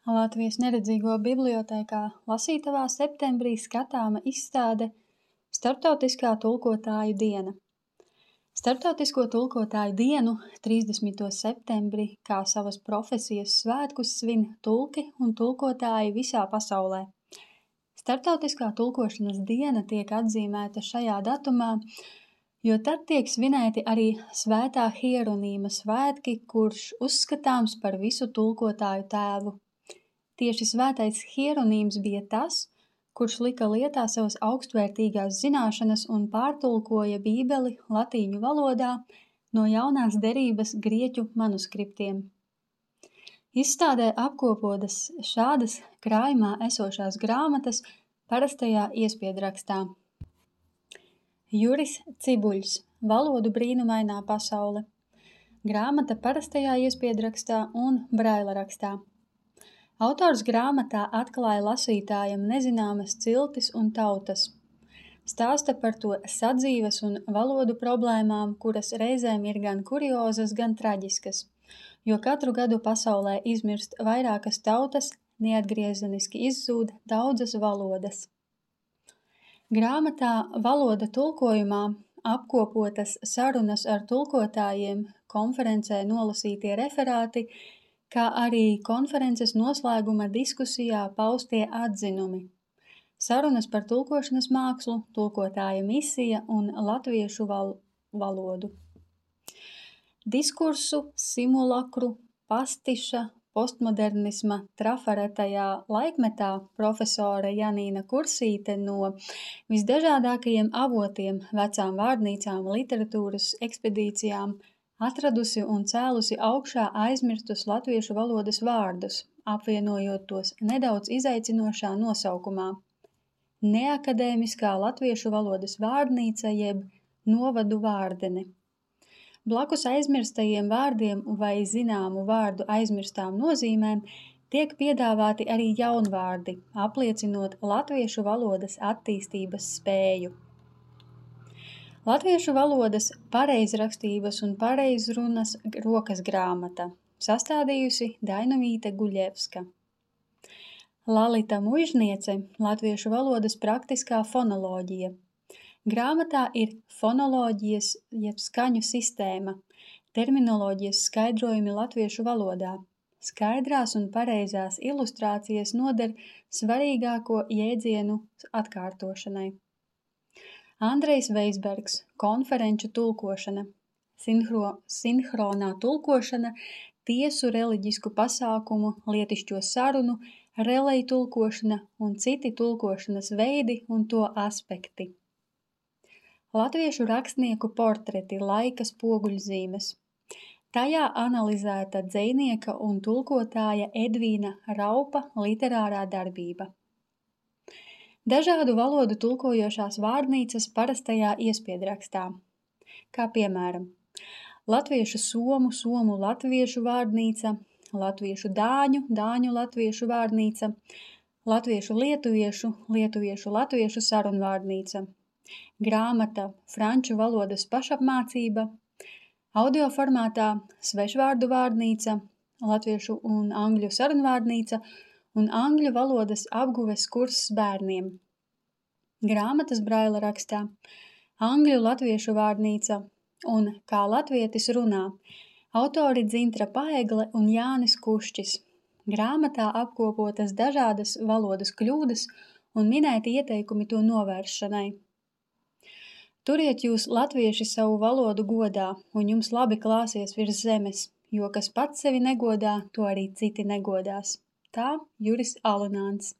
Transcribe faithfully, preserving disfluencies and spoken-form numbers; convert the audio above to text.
Latvijas neredzīgo bibliotēkā lasītavā septembrī skatāma izstāde Starptautiskā tulkotāju diena. Starptautisko tulkotāju dienu trīsdesmito septembri kā savas profesijas svētkus svin tulki un tulkotāji visā pasaulē. Starptautiskā tulkošanas diena tiek atzīmēta šajā datumā, jo tad tiek svinēti arī Svētā Hieronīma svētki, kurš uzskatāms par visu tulkotāju tēvu. Tieši svētais Hieronīms bija tas, kurš lika lietā savas augstvērtīgās zināšanas un pārtulkoja Bībeli latīņu valodā no jaunās derības grieķu manuskriptiem. Izstādē apkopotas šādas krājumā esošās grāmatas parastajā iespiedrakstā. Juris Cibuļs, Valodu brīnumainā pasaule. Grāmata parastajā iespiedrakstā un braila rakstā. Autors grāmatā atklāja lasītājam nezināmas ciltis un tautas. Stāsta par to sadzīves un valodu problēmām, kuras reizēm ir gan kuriozas, gan traģiskas, jo katru gadu pasaulē izmirst vairākas tautas, neatgriezeniski izzūd daudzas valodas. Grāmatā Valoda tulkojumā apkopotas sarunas ar tulkotājiem, konferencē nolasītie referāti, kā arī konferences noslēguma diskusijā paustie atzinumi. Sarunas par tulkošanas mākslu, tulkotāja misija un latviešu val valodu. Diskursu, simulakru, pastiša, postmodernisma trafaretajā laikmetā profesore Janīna Kursīte no visdažādākajiem avotiem, vecām vārnīcām, literatūras ekspedīcijām, atradusi un cēlusi augšā aizmirstus latviešu valodas vārdus, apvienojot tos nedaudz izaicinošā nosaukumā – neakadēmiskā latviešu valodas vārnīca jeb novadu vārdene. Blakus aizmirstajiem vārdiem vai zināmu vārdu aizmirstām nozīmēm tiek piedāvāti arī jaunvārdi, apliecinot latviešu valodas attīstības spēju. Latviešu valodas pareizrakstības un pareizrunas rokas grāmata, sastādījusi Dainavīte Guļevska. Lalita Muižniece, latviešu valodas praktiskā fonoloģija. Grāmatā ir fonoloģijas jeb skaņu sistēma, terminoloģijas skaidrojumi latviešu valodā. Skaidrās un pareizās ilustrācijas noder svarīgāko jēdzienu atkārtošanai. Andrejs Veisbergs, konferenču tulkošana, sinhro, sinhronā tulkošana, tiesu reliģisku pasākumu, lietišķo sarunu, relej tulkošana un citi tulkošanas veidi un to aspekti. Latviešu rakstnieku portreti, laika spoguļzīmes. Tajā analizēta dzejnieka un tulkotāja Edvīna Raupa literārā darbība. Dažādu valodu tulkojošās vārnīcas parastajā iespiedrakstā, kā piemēram latviešu somu, somu latviešu vārnīca, latviešu dāņu, dāņu latviešu vārnīca, latviešu lietuviešu, lietuviešu latviešu sarunvārnīca, grāmata franču valodas pašapmācība, audio formātā svešvārdu vārnīca, latviešu un angļu sarunvārnīca un angļu valodas apguves kurss bērniem. Grāmatas braila rakstā, angļu latviešu vārnīca un kā latvietis runā, autori Dzintra Paegle un Jānis Kušķis. Grāmatā apkopotas dažādas valodas kļūdas un minēti ieteikumi to novēršanai. Turiet jūs latvieši savu valodu godā, un jums labi klāsies virs zemes, jo kas pats sevi negodā, to arī citi negodās. Tā Juris Alunāns.